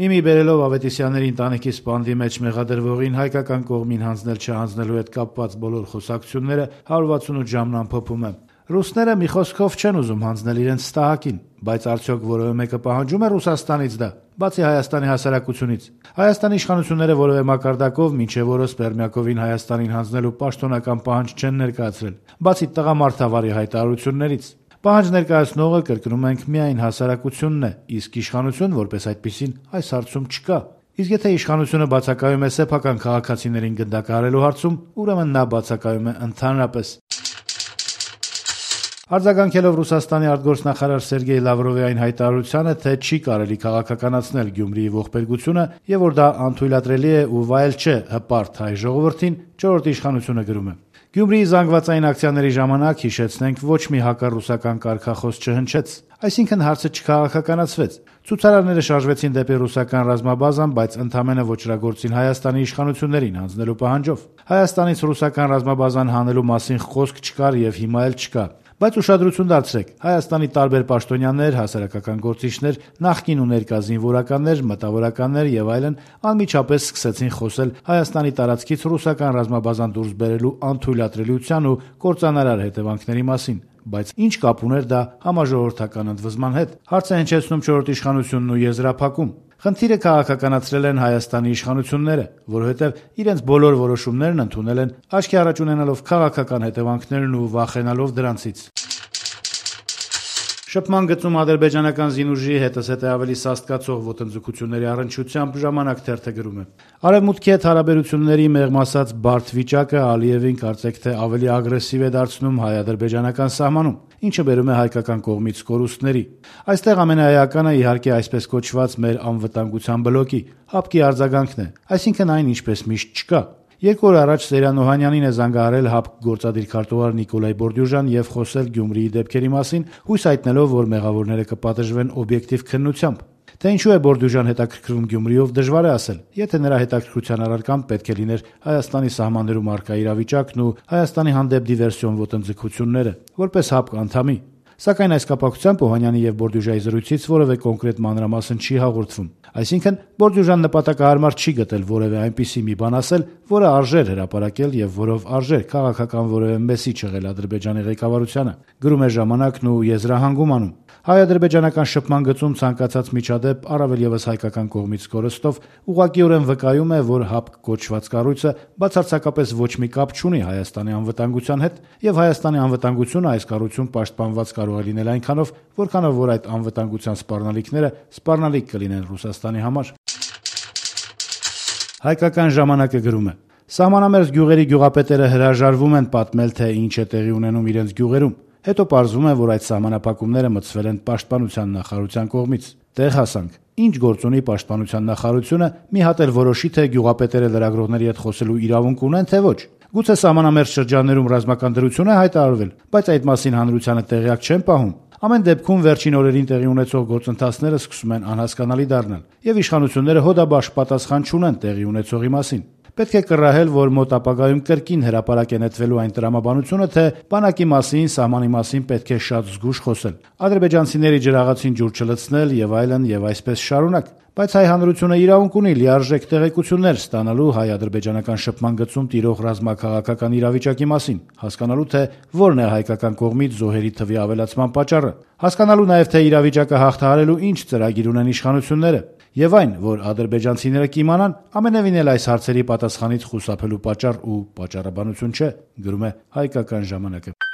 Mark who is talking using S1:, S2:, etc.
S1: Իմի բերելով Ավետիսյանների ընտանիքի սպանդի մեջ մեղադրվողին հայկական կողմին հանձնել-չհանձնելու հետ կապված բոլոր խոսակցությունները 168 ժամն ամփոփում է. Ռուսները մի խոսքով չեն ուզում հանձնել իրենց ստահակին, բայց արդյոք որևէ մեկը պահանջում է Ռուսաստանից դա, բացի Հայաստանի հասարակությունից։ Հայաստանի իշխանությունները որևէ մակարդակով մինչև օրս Պերմյակովին Հայաստանին հանձնելու պաշտոնական պահանջ չեն ներկայացրել, բացի տղամարդավարի հայտարարություններից։ Պահանջ ներկայացնողը, կրկնում ենք, միայն հասարակությունն է, իսկ իշխանություն որպես այդպիսին այս հարցում չկա։ Իսկ եթե իշխանությունը բացակայում է սեփական քաղաքացիներին գնդակահարելու հարցում, ուրեմն նա բացակայում է ընդհանրապես։ Արձագանքելով Ռուսաստանի արտգործնախարար Սերգեյ Լավրովի այն հայտարարությանը, թե չի կարելի քաղաքականացնել Գյումրիի ողբերգությունը եւ որ դա անթույլատրելի է ու վայել չէ հպարտ հայ ժողովրդին, չորրորդ իշխանությունը գրում է. Գյումրիի զանգվածային ակցիաների ժամանակ, հիշեցնենք, ոչ մի հակառուսական կարգախոս չհնչեց, այսինքն հարցը չքաղաքականացվեց։ Ցուցարարները շարժվեցին դեպի ռուսական ռազմաբազան, բայց ընդամենը ոչրագործին Հայաստանի իշխանություններին հանձնելու պահանջով։ Հայաստանից ռուսական ռազմաբազան հանելու մասին խոսք չկար եւ հիմա էլ չկա։ Բայց ուշադրություն դարձրեք, Հայաստանի տարբեր պաշտոնյաներ, հասարակական գործիչներ, նախկին ու ներկա զինվորականներ, մտավորականներ եւ այլն անմիջապես սկսեցին խոսել Հայաստանի տարածքից ռուսական ռազմաբազան դուրս բերելու անթույլատրելիության ու կործանարար հետևանքների մասին։ Բայց ինչ կապ ուներ դա համաժողովրդական ընդվզման հետ։ Հարց է հնչեցնում չորրորդ իշխանությունն ու եզրափակում։ Խնդիրը քաղաքականացրել են Հայաստանի իշխանությունները, որովհետև իրենց բոլոր որոշումներն ընդունել են աչքի առաջ ունենալով քաղաքական հետևանքներն ու վախենալով դրանցից։ Շփման գծում ադրբեջանական զինուժի հետզհետե ավելի սաստկացող ոտնձգությունների առնչությամբ ժամանակ թերթը գրում է. Արևմուտքի հետ հարաբերությունների մեղմ ասած բարդ վիճակը Ալիևին կարծեք թե ավելի ագրեսիվ է դարձնում հայ-ադրբեջանական սահմանում, ինչը բերում է հայկական կողմից կորուստների։ Այստեղ ամենաէականը իհարկե այսպես կոչված մեր անվտանգության բլոկի ՀԱՊԿ-ի արձագանքն է, այսինքն այն ինչպես միշտ չկա։ 2 օր առաջ Սերյան Օհանյանին է զանգահարել ՀԱՊԿ գործադիր քարտուղար Նիկոլայ Բորդյուժան եւ խոսել Գյումրիի դեպքերի մասին, հույս հայտնելով, որ մեղավորները կպատժվեն օբյեկտիվ քննությամբ։ Թե ինչու է Բորդյուժան հետաքրքրվում Գյումրիով, դժվար է ասել, եթե նրա հետաքրքրության առարկան պետք է լիներ Հայաստանի սահմաններում առկա իրավիճակն ու Հայաստանի հանդեպ դիվերսիոն ոտնձգությունները, որպես ՀԱՊԿ անդամի։ Սակայն այս կապակցությամբ Օհանյանի եւ Բորդյուժայի զրույցից որևէ կոնկրետ մանրամասն չի հաղորդվում։ Այսինքն Բորդյուժան նպատակահարմար չի գտել որևէ այնպիսի մի բան ասել, որը արժեր հրապարակել եւ որով արժեր քաղաքական որևէ մեսիջ եղել Ադրբեջանի ղեկավարությանը։ Գրում է Ժամանակն ու եզրահանգում անում։ Հայ-ադրբեջանական շփման գծում ցանկացած միջադեպ առավել եւս հայկական կողմից կորստով ուղղակիորեն վկայում է, որ ՀԱՊԿ կոչված կառույցը բացարձակապես ոչ մի կապ չունի Հայաստանի անվտանգության հետ եւ Հայաստանի անվտանգությունը այս կառույցում պաշտպանված կարող է լինել այնքանով, որքանով որ այդ անվտանգության սպառնալիքները սպառնալիք կլինեն Ռուսաստանի համար։ Հայկական ժամանակը գրում է. Սահմանամերձ գյուղերի գյուղապետերը հրաժարվում են պատմել, թե ինչ է տեղի ունենում իրենց գյուղերում։ Հետո պարզվում է, որ այդ սահմանափակումները մտցվել են Պաշտպանության նախարարության կողմից։ Տեղ հասանք։ Ինչ գործ ունի Պաշտպանության նախարարությունը, մի հատ էլ որոշի, թե գյուղապետերը լրագրողների հետ խոսելու իրավունք ունեն, թե ոչ։ Գուցե սահմանամերձ շրջաններում ռազմական դրություն է հայտարարվել, բայց այդ մասին հանրությանը տեղյակ չեն պահում։ Ամեն դեպքում վերջին օրերին տեղի ունեցող գործընթացները սկսում են անհասկանալի դառնալ, եւ իշխանությունները հոդաբաշխ պատասխան չունեն տեղի ունեցողի մասին։ Պետք է կռահել, որ մոտ ապագայում կրկին հրապարակ է նետվելու այն տրամաբանությունը, թե բանակի մասին, սահմանի մասին պետք է շատ զգուշ խոսել, ադրբեջանցիների ջրաղացին ջուր չլցնել եւ այլն եւ այսպես շարունակ։ Բայց հայ հանրությունը իրավունք ունի լիարժեք տեղեկություններ ստանալու հայ-ադրբեջանական շփման գծում տիրող ռազմաքաղաքական իրավիճակի մասին, հասկանալու թե որն է հայկական կողմից զոհերի թվի ավելացման պատճառը, հասկանալու նաեւ թե իրավիճակը հաղթահարելու ինչ ծրագիր ունեն իշխանությունները, եւ այն, որ ադրբեջանցիները կիմանան, ամենևին էլ այս հարցերի պատասխանից խուսափելու պատճառ ու պատճառաբանություն չէ, գրում է Հայկական ժամանակը։